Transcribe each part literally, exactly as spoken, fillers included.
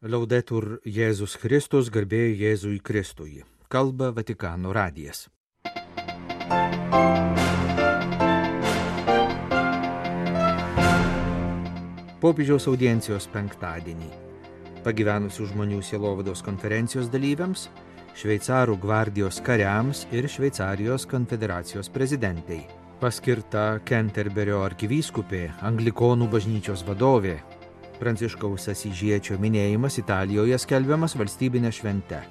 Laudetur Jėzus Kristus, garbė Jėzui Kristui. Kalba Vatikano radijas. Popiežiaus audiencijos penktadienį. Pagyvenusių žmonių sielovados konferencijos dalyviams, šveicarų gvardijos kariams ir Šveicarijos konfederacijos prezidentei. Paskirta Kenterberio arkivyskupė, Anglikonų bažnyčios vadovė. Pranciškaus Asyžiečio minėjimas Italijoje skelbiamas valstybinė švente.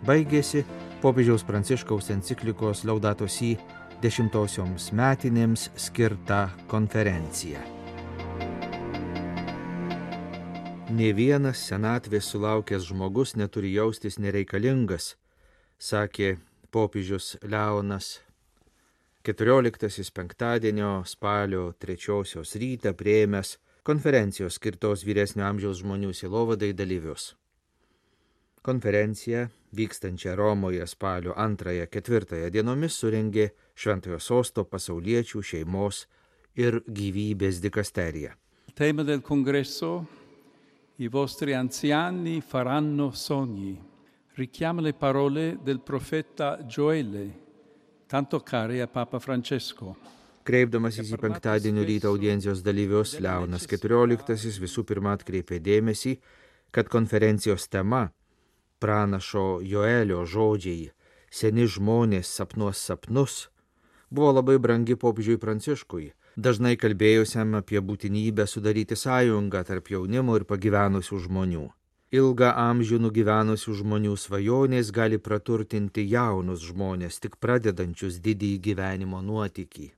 Baigėsi popiežiaus Pranciškaus enciklikos Laudato Si dešimtosioms metinėms skirta konferencija. Nė vienas senatvės sulaukęs žmogus neturi jaustis nereikalingas, sakė popiežius Leonas. keturioliktasis penktadienio spalio trečiosios rytą priėmęs konferencijos skirtos vyresnio amžiaus žmonių sielovadai dalyvius. Konferencija, vykstančią Romoje spalio antrąją ketvirtąją dienomis, surengė Šventojo Sosto pasauliečių šeimos ir gyvybės dikasterija. Tema del congresso: I vostri anziani faranno sogni. Richiama le parole del profeta Gioele, tanto care a Papa Francesco. Kreipdamasis į penktadienio ryto audiencijos dalyvius, Leonas keturioliktasis visų pirma atkreipė dėmesį, kad konferencijos tema pranašo Joelio žodžiai "Seni žmonės sapnuos sapnus" buvo labai brangi popiežiui Pranciškui, dažnai kalbėjusiam apie būtinybę sudaryti sąjungą tarp jaunimo ir pagyvenusių žmonių. Ilgą amžių nugyvenusių žmonių svajonės gali praturtinti jaunus žmonės, tik pradedančius didįjį gyvenimo nuotykį.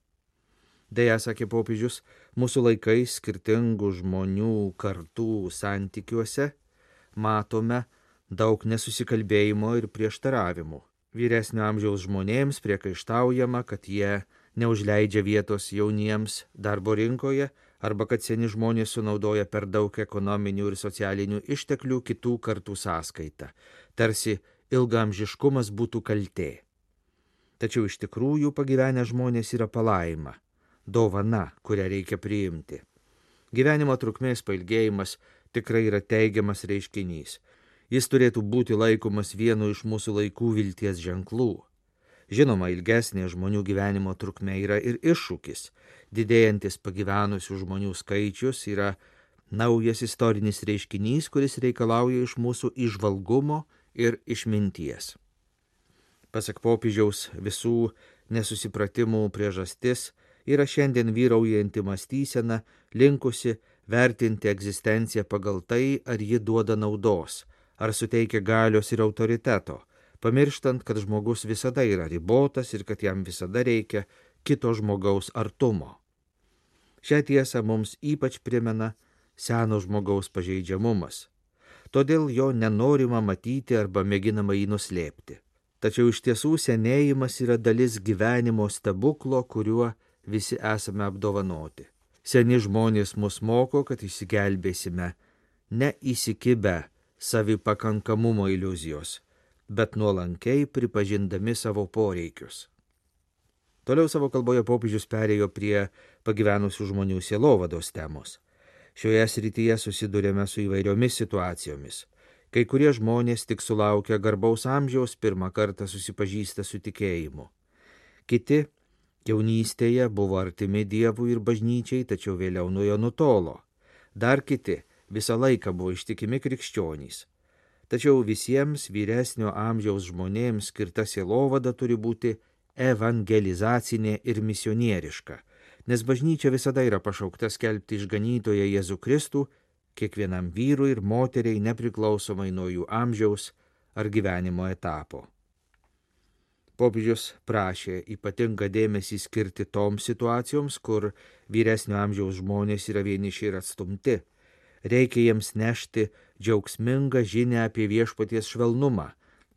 Deja, sakė popiežius, mūsų laikais skirtingų žmonių kartų santykiuose matome daug nesusikalbėjimo ir prieštaravimų. Vyresnio amžiaus žmonėms priekaištaujama, kad jie neužleidžia vietos jauniems darbo rinkoje arba kad seni žmonės sunaudoja per daug ekonominių ir socialinių išteklių kitų kartų sąskaita, tarsi ilgaamžiškumas būtų kaltė. Tačiau iš tikrųjų pagyvenę žmonės yra palaima, dovana, kurią reikia priimti. Gyvenimo trukmės pailgėjimas tikrai yra teigiamas reiškinys. Jis turėtų būti laikomas vienu iš mūsų laikų vilties ženklų. Žinoma, ilgesnė žmonių gyvenimo trukmė yra ir iššūkis. Didėjantis pagyvenusių žmonių skaičius yra naujas istorinis reiškinys, kuris reikalauja iš mūsų įžvalgumo ir išminties. Pasak popiežiaus, visų nesusipratimų priežastis yra šiandien vyraujanti mąstysena, linkusi vertinti egzistenciją pagal tai, ar ji duoda naudos, ar suteikia galios ir autoriteto, pamirštant, kad žmogus visada yra ribotas ir kad jam visada reikia kito žmogaus artumo. Šią tiesą mums ypač primena seno žmogaus pažeidžiamumas. Todėl jo nenorima matyti arba mėginama jį nuslėpti. Tačiau iš tiesų senėjimas yra dalis gyvenimo stebuklo, kuriuo visi esame apdovanoti. Seni žmonės mus moko, kad išsigelbėsime ne įsikibę savipakankamumo iliuzijos, bet nuolankiai pripažindami savo poreikius. Toliau savo kalboje popiežius perėjo prie pagyvenusių žmonių sielovados temos. Šioje srityje susidurėme su įvairiomis situacijomis. Kai kurie žmonės tik sulaukę garbaus amžiaus pirmą kartą susipažįsta su tikėjimu. Kiti jaunystėje buvo artimi Dievui ir bažnyčiai, tačiau vėliau nuo jo nutolo. Dar kiti visą laiką buvo ištikimi krikščionys. Tačiau visiems vyresnio amžiaus žmonėms skirta sielovada turi būti evangelizacinė ir misionieriška, nes bažnyčia visada yra pašaukta skelbti išganytoją Jėzų Kristų kiekvienam vyrui ir moteriai nepriklausomai nuo jų amžiaus ar gyvenimo etapo. Popiežius prašė ypatingą dėmesį skirti toms situacijoms, kur vyresnio amžiaus žmonės yra vieniši ir atstumti. Reikia jiems nešti džiaugsmingą žinią apie viešpaties švelnumą,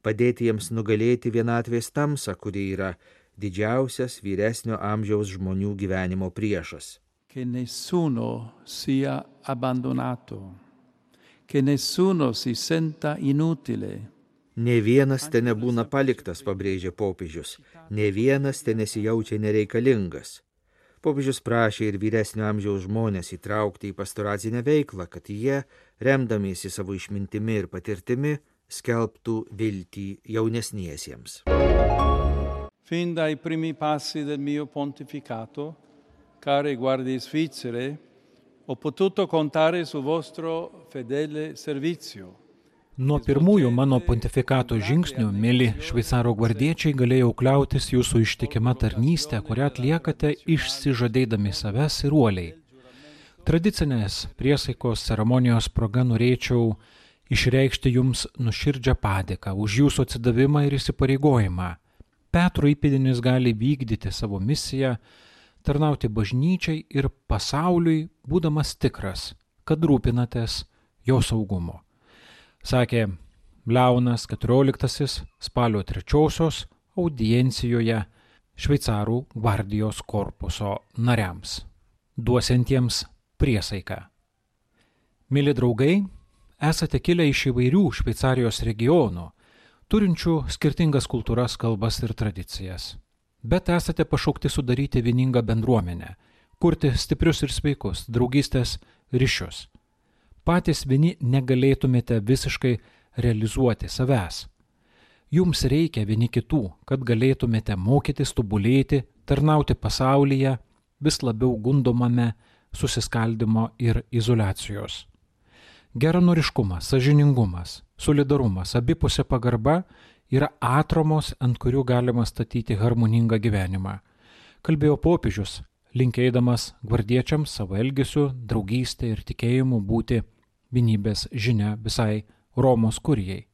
padėti jiems nugalėti vienatvės tamsą, kuri yra didžiausias vyresnio amžiaus žmonių gyvenimo priešas. Che nessuno sia abbandonato, che nessuno si senta inutile. Ne vienas te nebūna paliktas, pabrėžė popiežius, ne vienas te nesijaučia nereikalingas. Popiežius prašė ir vyresnio amžiaus žmonės įtraukti į pastoracinę veiklą, kad jie remdamiesi savo išmintimi ir patirtimi, skelbtų viltį jaunesniesiems. Fin dai primi passi del mio pontificato, care guardie svizzere, ho potuto contare su vostro fedele servizio. Nuo pirmųjų mano pontifikato žingsnių, mėly šveicarų gvardiečiai, galėjau kliautis jūsų ištikima tarnystė, kurią atliekate išsižadėdami savęs ir uoliai. Tradicinės priesaikos ceremonijos proga norėčiau išreikšti jums nuoširdžią padėką už jūsų atsidavimą ir įsipareigojimą. Petro įpėdinis gali vykdyti savo misiją, tarnauti bažnyčiai ir pasauliui, būdamas tikras, kad rūpinatės jo saugumu. Sakė Leonas keturioliktasis spalio trečiosios audiencijoje šveicarų gvardijos korpuso nariams, duosiantiems priesaiką. Mėly draugai, esate kilę iš įvairių Šveicarijos regionų, turinčių skirtingas kultūras, kalbas ir tradicijas. Bet esate pašaukti sudaryti vieningą bendruomenę, kurti stiprius ir sveikus draugystės ryšius. Patys vieni negalėtumėte visiškai realizuoti savęs. Jums reikia vieni kitų, kad galėtumėte mokytis tobulėti, tarnauti pasaulyje, vis labiau gundomame susiskaldimo ir izoliacijos. Geranoriškumas, sąžiningumas, solidarumas, abipusė pagarba yra atramos, ant kurių galima statyti harmoningą gyvenimą. Kalbėjo popiežius, linkėdamas gvardiečiams savo elgesiu, draugystė ir tikėjimu būti vienybės žinia visai Romos kurijai.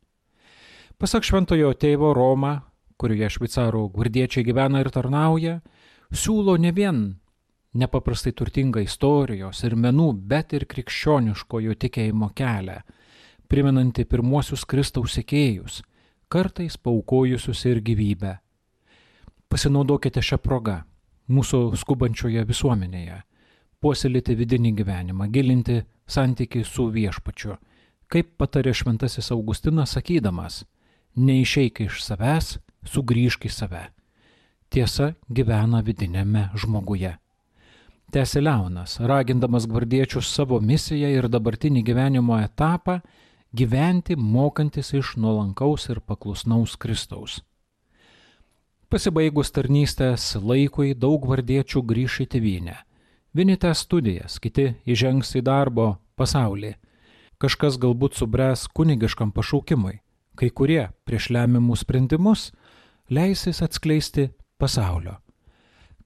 Pasak šventojo tėvo, Roma, kurioje šveicarų gvardiečiai gyvena ir tarnauja, siūlo ne vien nepaprastai turtingą istorijos ir menų, bet ir krikščioniškojo tikėjimo kelią, primenanti pirmuosius Kristaus sekėjus, kartais paaukojusius ir gyvybę. Pasinaudokite šią progą mūsų skubančioje visuomenėje, puoselėti vidinį gyvenimą, gilinti santykį su viešpačiu, kaip patarė šventasis Augustinas sakydamas, neišeik iš savęs, sugrįžk į save. Tiesa gyvena vidinėme žmoguje. Tęsė Leonas, ragindamas gvardiečius savo misiją ir dabartinį gyvenimo etapą gyventi mokantis iš nuolankaus ir paklusnaus Kristaus. Pasibaigus tarnystės laikui daug gvardiečių grįš į tėvynę. Vieni tęs studijas, kiti įžengs į darbo pasaulį. Kažkas galbūt subręs kunigiškam pašaukimui, kai kurie prieš lemiamus sprendimus leisis atskleisti pasaulio.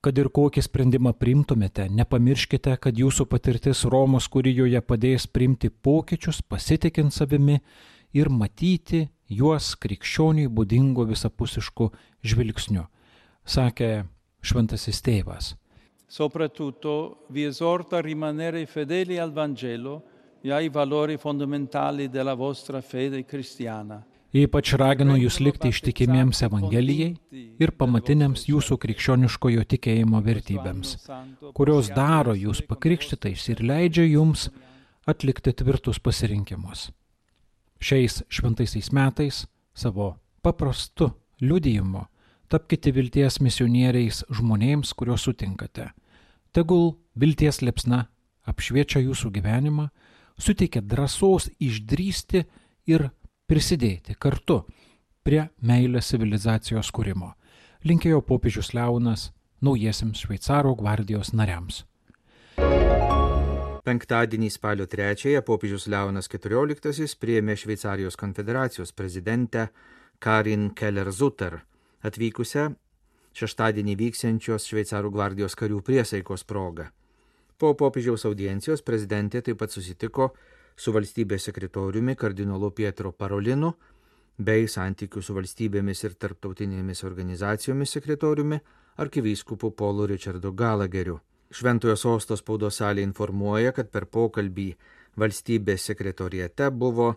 Kad ir kokį sprendimą priimtumėte, nepamirškite, kad jūsų patirtis Romos kurijoje padės priimti pokyčius, pasitikint savimi ir matyti juos krikščioniui būdingo visapusišku žvilgsniu, sakė šventasis tėvas. Soprattutto vi esorta a rimanere fedeli al Vangelo e ai valori fondamentali della vostra fede cristiana. Ypač raginu jūs likti ištikimiems Evangelijai ir pamatiniams jūsų krikščioniškojo tikėjimo vertybėms, kurios daro jūs pakrikštytais ir leidžia jums atlikti tvirtus pasirinkimus. Šiais šventaisiais metais savo paprastu liudijimu tapkite vilties misionieriais žmonėms, kuriuos sutinkate. Tegul vilties liepsna apšviečia jūsų gyvenimą, suteikia drąsos išdrįsti ir prisidėti kartu prie meilės civilizacijos kūrimo, linkėjo popiežius Leonas naujiesiems šveicarų gvardijos nariams. Penktadienį spalio trečiąją popiežius Leonas keturioliktasis priėmė Šveicarijos konfederacijos prezidentę Karin Keller-Sutter, atvykusią šeštadienį vyksiančios Šveicarų gvardijos karių priesaikos proga. Po popiežiaus audiencijos prezidentė taip pat susitiko su valstybės sekretoriumi kardinolu Pietro Parolinu bei santykių su valstybėmis ir tarptautinėmis organizacijomis sekretoriumi arkivyskupu Paulu Richardu Gallagheriu. Šventojo sosto spaudos salė informuoja, kad per pokalbį valstybės sekretoriate buvo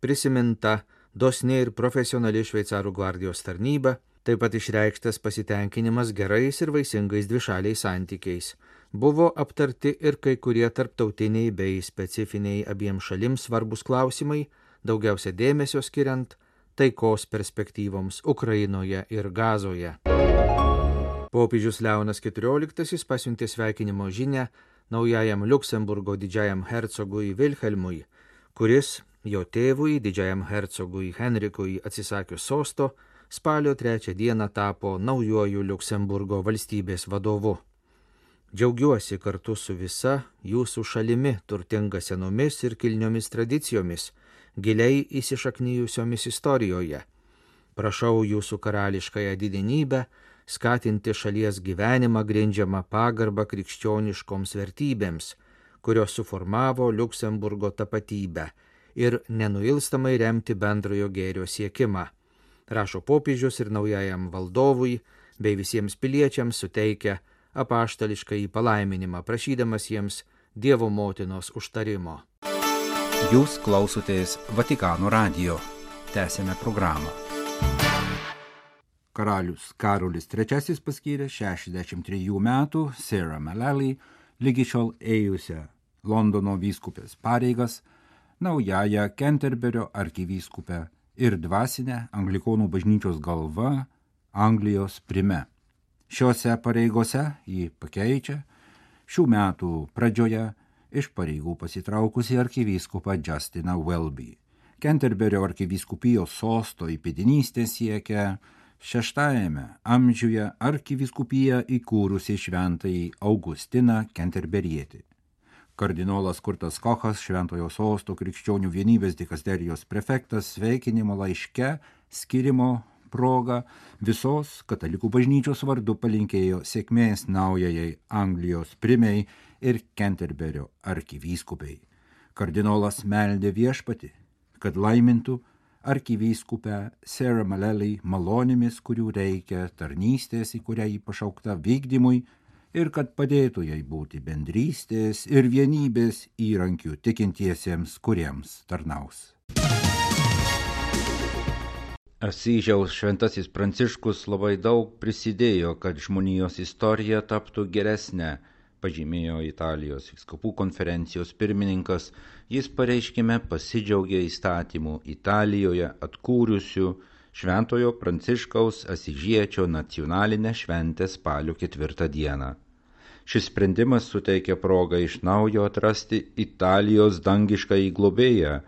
prisiminta dosni ir profesionali Šveicarų gvardijos tarnyba, taip pat išreikštas pasitenkinimas gerais ir vaisingais dvišaliais santykiais. Buvo aptarti ir kai kurie tarptautiniai bei specifiniai abiem šalims svarbus klausimai, daugiausia dėmesio skiriant taikos perspektyvoms Ukrainoje ir Gazoje. Popiežius Leonas keturioliktasis pasiuntė sveikinimo žinią naujajam Liuksemburgo didžiajam hercogui Vilhelmui, kuris jo tėvui, didžiajam hercogui Henrikui atsisakius sosto, spalio trečią dieną tapo naujuoju Liuksemburgo valstybės vadovu. Džiaugiuosi kartu su visa jūsų šalimi, turtinga senomis ir kilniomis tradicijomis, giliai įsišaknijusiomis istorijoje. Prašau jūsų karališkąją didenybę skatinti šalies gyvenimą grindžiamą pagarbą krikščioniškoms vertybėms, kurios suformavo Liuksemburgo tapatybę, ir nenuilstamai remti bendrojo gėrio siekimą. Rašo popiežius ir naujajam valdovui bei visiems piliečiams suteikia apaštališką į palaiminimą, prašydamas jiems Dievo motinos užtarimo. Jūs klausotės Vatikano radijo. Tęsėme programą. Karalius Karolis trečiasis paskyrė šešiasdešimt trejų metų Sarah Mullally, lygi šiol ėjusią Londono vyskupės pareigas, naująją Kenterberio arkivyskupę ir dvasinę Anglikonų bažnyčios galva Anglijos prime. Šiose pareigose jį pakeičia šių metų pradžioje iš pareigų pasitraukusi arkivyskupą Justiną Welby. Kenterberio arkivyskupijos sosto įpėdinystė siekia šeštajame amžiuje arkivyskupiją įkūrusi šventąjį Augustiną Kenterberietį. Kardinolas Kurtas Kochas, Šventojo sosto krikščionių vienybės dikasterijos prefektas, sveikinimo laiške skirimo proga visos katalikų bažnyčios vardu palinkėjo sėkmės naujajai Anglijos primei ir Kenterberio arkivyskupiai. Kardinolas meldė viešpatį, kad laimintų arkivyskupę Sarah Mullally malonėmis, kurių reikia tarnystės, į kurią jį pašaukta vykdymui, ir kad padėtų jai būti bendrystės ir vienybės įrankių tikintiesiems, kuriems tarnaus. Asyžiaus šventasis Pranciškus labai daug prisidėjo, kad žmonijos istorija taptų geresnė, pažymėjo Italijos vyskupų konferencijos pirmininkas. Jis pareiškime pasidžiaugė įstatymų Italijoje atkūrusių Šventojo Pranciškaus Asyžiečio nacionalinę šventę spalio ketvirtą dieną. Šis sprendimas suteikia progą iš naujo atrasti Italijos dangiškąjį globėją,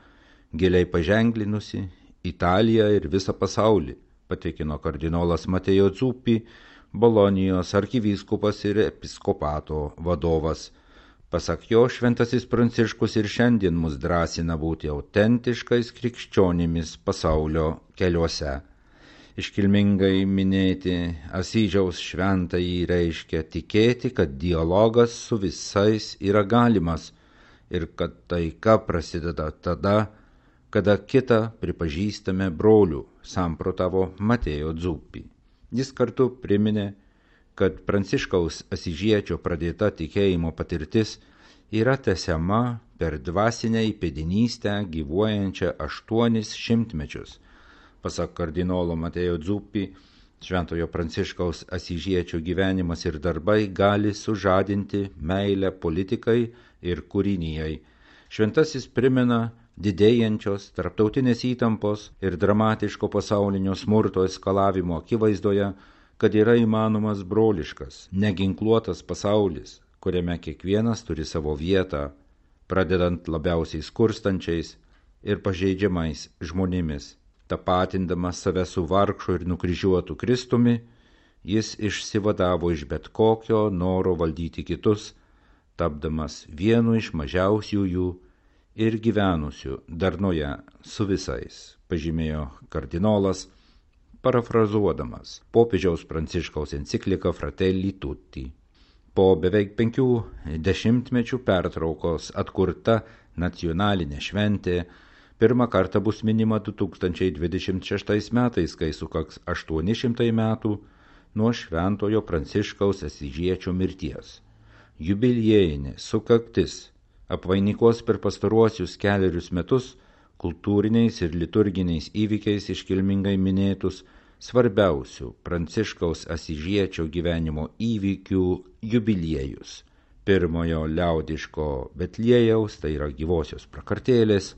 giliai paženklinusi Italiją ir visą pasaulį, patikino kardinolas Mateo Zuppi, Bolonijos arkivyskupas ir episkopato vadovas. Pasak jo, šventasis Pranciškus ir šiandien mus drąsina būti autentiškais krikščionimis pasaulio keliuose. Iškilmingai minėti Asyžiaus šventąjį reiškia tikėti, kad dialogas su visais yra galimas ir kad taika prasideda tada, kada kitą pripažįstame brolių, samprotavo Mateo Zuppi. Jis kartu priminė, kad Pranciškaus Asyžiečio pradėta tikėjimo patirtis yra tęsiama per dvasinę įpėdinystę gyvuojančią aštuonis šimtmečius. Pasak kardinolo Mateo Zuppi, Šventojo Pranciškaus Asyžiečio gyvenimas ir darbai gali sužadinti meilę politikai ir kūrinijai. Šventasis primena didėjančios tarptautinės įtampos ir dramatiško pasaulinio smurto eskalavimo akivaizdoje, kad yra įmanomas broliškas, neginkluotas pasaulis, kuriame kiekvienas turi savo vietą, pradedant labiausiai skurstančiais ir pažeidžiamais žmonėmis. Tapatindamas save su vargšu ir nukryžiuotu Kristumi, jis išsivadavo iš bet kokio noro valdyti kitus, tapdamas vienu iš mažiausiųjų ir gyvenusių darnoje su visais, pažymėjo kardinolas, parafrazuodamas popiežiaus Pranciškaus encikliką Fratelli Tutti. Po beveik penkių dešimtmečių pertraukos atkurta nacionalinė šventė pirmą kartą bus minima du tūkstančiai dvidešimt šeštais metais, kai sukaks aštuoni šimtai metų nuo Šventojo Pranciškaus Asyžiečio mirties. Jubiliejinė sukaktis apvainikuos per pastaruosius kelerius metus kultūriniais ir liturginiais įvykiais iškilmingai minėtus svarbiausių Pranciškaus Asyžiečio gyvenimo įvykių jubiliejus. Pirmojo liaudiško Betliejaus, tai yra gyvosios prakartėlės,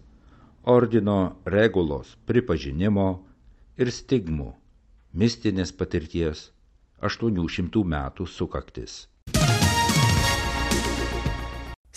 ordino regulos pripažinimo ir stigmų, mistinės patirties aštuonių šimtų metų sukaktis.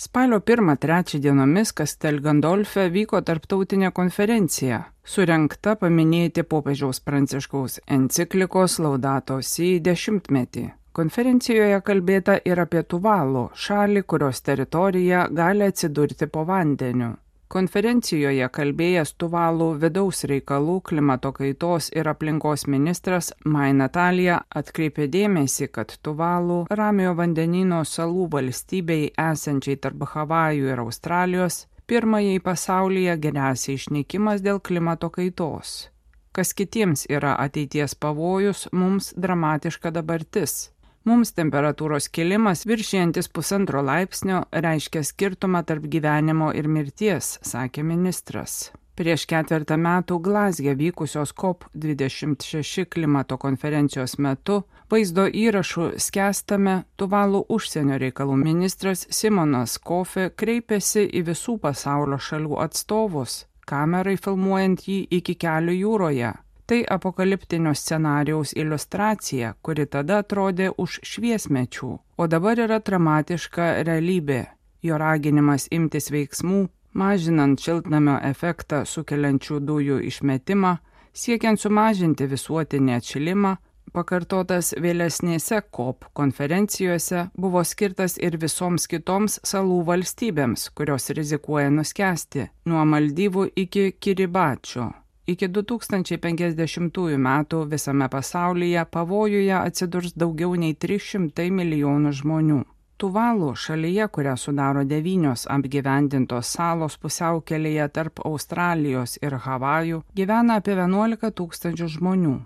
Spalio pirmą trečią dienomis Castel Gandolfe vyko tarptautinė konferencija, surengta paminėti popiežiaus Pranciškaus enciklikos Laudato Si dešimtmetį. Konferencijoje kalbėta ir apie Tuvalu, šalį, kurios teritorija gali atsidurti po vandeniu. Konferencijoje kalbėjęs Tuvalu vidaus reikalų, klimato kaitos ir aplinkos ministras Mai Natalija atkreipė dėmesį, kad Tuvalu Ramiojo vandenyno salų valstybei esančiai tarp Havajų ir Australijos pirmajai pasaulyje gresia išnykimas dėl klimato kaitos. Kas kitiems yra ateities pavojus, mums dramatiška dabartis. Mums temperatūros kilimas viršijantis pusantro laipsnio reiškia skirtumą tarp gyvenimo ir mirties, sakė ministras. Prieš ketvertą metų Glazge vykusios COP dvidešimt šeši klimato konferencijos metu vaizdo įrašų skęstame Tuvalu užsienio reikalų ministras Simonas Kofi kreipėsi į visų pasaulio šalių atstovus, kamerai filmuojant jį iki kelių jūroje. Tai apokaliptinio scenarijaus iliustracija, kuri tada atrodė už šviesmečių, o dabar yra dramatiška realybė. Jo raginimas imtis veiksmų, mažinant šiltnamio efektą sukeliančių dujų išmetimą, siekiant sumažinti visuotinį atšilimą, pakartotas vėlesnėse COP konferencijose, buvo skirtas ir visoms kitoms salų valstybėms, kurios rizikuoja nuskęsti, nuo Maldyvų iki Kiribačio. Iki du tūkstančiai penkiasdešimtųjų metų visame pasaulyje pavojuje atsidurs daugiau nei trys šimtai milijonų žmonių. Tuvalu, šalyje, kurią sudaro devynios apgyvendintos salos pusiaukelėje tarp Australijos ir Havajų, gyvena apie vienuolika tūkstančių žmonių.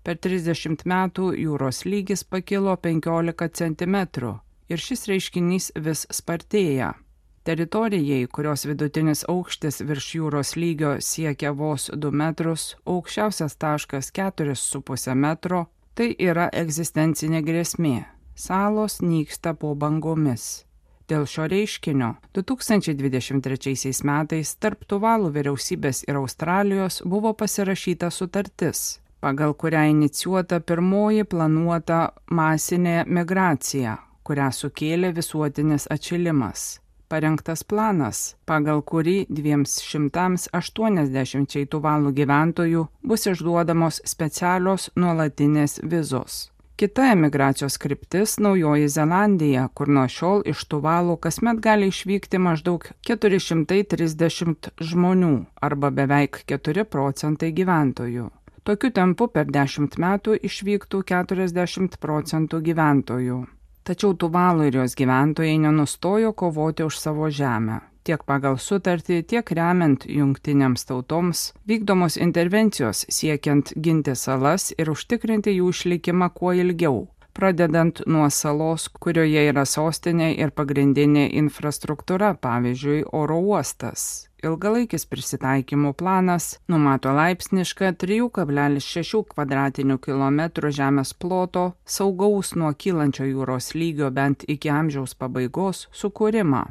Per trisdešimt metų jūros lygis pakilo penkiolika centimetrų ir šis reiškinys vis spartėja. Teritorijai, kurios vidutinis aukštis virš jūros lygio siekia vos du metrus, aukščiausias taškas keturis su puse metro, tai yra egzistencinė grėsmė. Salos nyksta po bangomis. Dėl šio reiškinio du tūkstančiai dvidešimt trečiaisiais metais tarp Tuvalu vyriausybės ir Australijos buvo pasirašyta sutartis, pagal kurią inicijuota pirmoji planuota masinė migracija, kurią sukėlė visuotinis atšilimas. Parengtas planas, pagal kurį dviems šimtams aštuoniasdešimčiai Tuvalu gyventojų bus išduodamos specialios nuolatinės vizos. Kita emigracijos kryptis – Naujoji Zelandija, kur nuo šiol iš Tuvalu kasmet gali išvykti maždaug keturi šimtai trisdešimt žmonių arba beveik keturi procentai gyventojų. Tokiu tempu per dešimt metų išvyktų keturiasdešimt procentų gyventojų. Tačiau Tuvalu ir jos gyventojai nenustojo kovoti už savo žemę. Tiek pagal sutartį, tiek remiant jungtinėms tautoms vykdomos intervencijos siekiant ginti salas ir užtikrinti jų išlikimą kuo ilgiau, pradedant nuo salos, kurioje yra sostinė ir pagrindinė infrastruktūra, pavyzdžiui, oro uostas. Ilgalaikis prisitaikymo planas numato laipsnišką trijų kablelis šešių kvadratinių kilometrų žemės ploto saugaus nuo kylančio jūros lygio bent iki amžiaus pabaigos sukūrimą.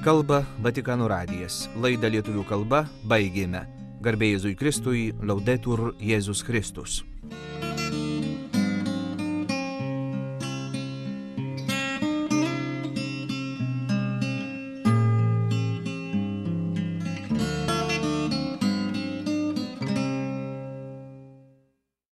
Kalba Vatikano radijas. Laidą lietuvių kalba baigėme. Garbė Jėzui Kristui, Laudetur Jėzus Kristus.